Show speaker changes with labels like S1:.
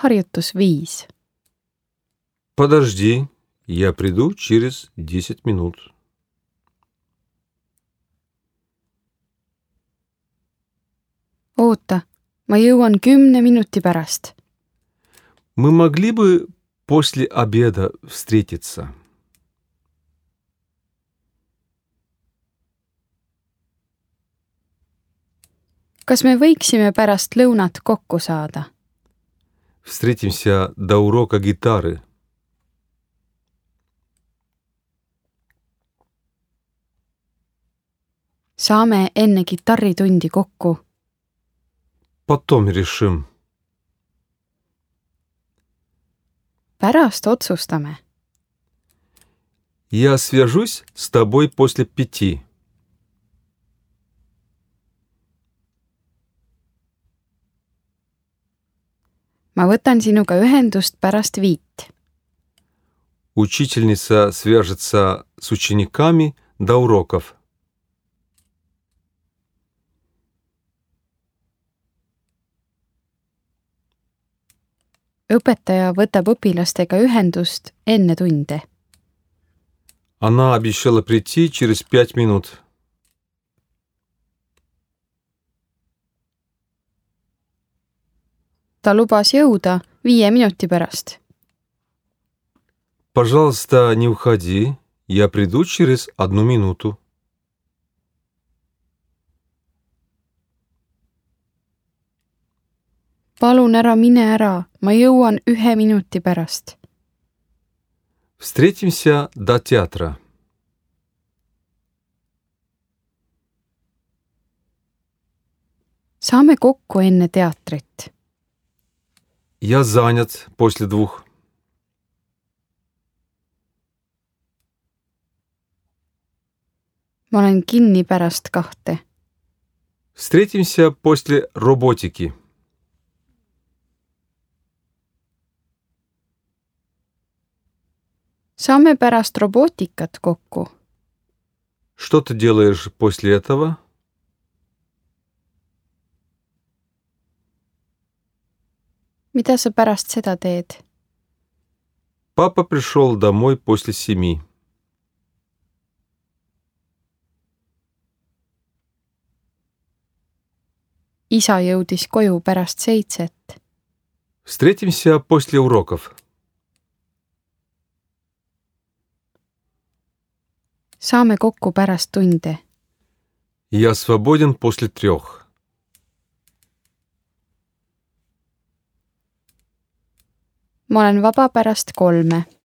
S1: Harjutus 5.
S2: Подожди, я приду через 10 минут.
S1: Oota, ma jõuan 10 minuti pärast.
S2: Мы могли бы после обеда встретиться?
S1: Kas me võiksime pärast lõunat kokku saada?
S2: Встретимся до урока гитары.
S1: Saame enne kitarritundi kokku.
S2: Потом решим.
S1: Pärast otsustame.
S2: Я свяжусь с тобой после 5.
S1: Ma võtan sinuga ühendust pärast 5.
S2: Учительница свяжется с учениками до уроков.
S1: Õpetaja võtab õpilastega ühendust enne tunde.
S2: Она обещала прийти через 5 минут.
S1: Ta lubas jõuda 5 minuti pärast.
S2: Пожалуйста, не уходи. Я приду через 1 минуту.
S1: Palun ära mine ära, ma jõuan 1 minuti pärast.
S2: Встретимся до театра.
S1: Saame kokku enne teatrit.
S2: Я занят после 2.
S1: Ma olen kinni pärast 2.
S2: Встретимся после роботики.
S1: Saame pärast robootikat kokku.
S2: Что ты делаешь после этого?
S1: Mida sa pärast seda teed?
S2: Папа пришел домой после 7.
S1: Isa jõudis koju pärast 7.
S2: Встретимся после уроков.
S1: Saame kokku pärast tunde.
S2: Я свободен после 3.
S1: Ma olen vaba pärast 3.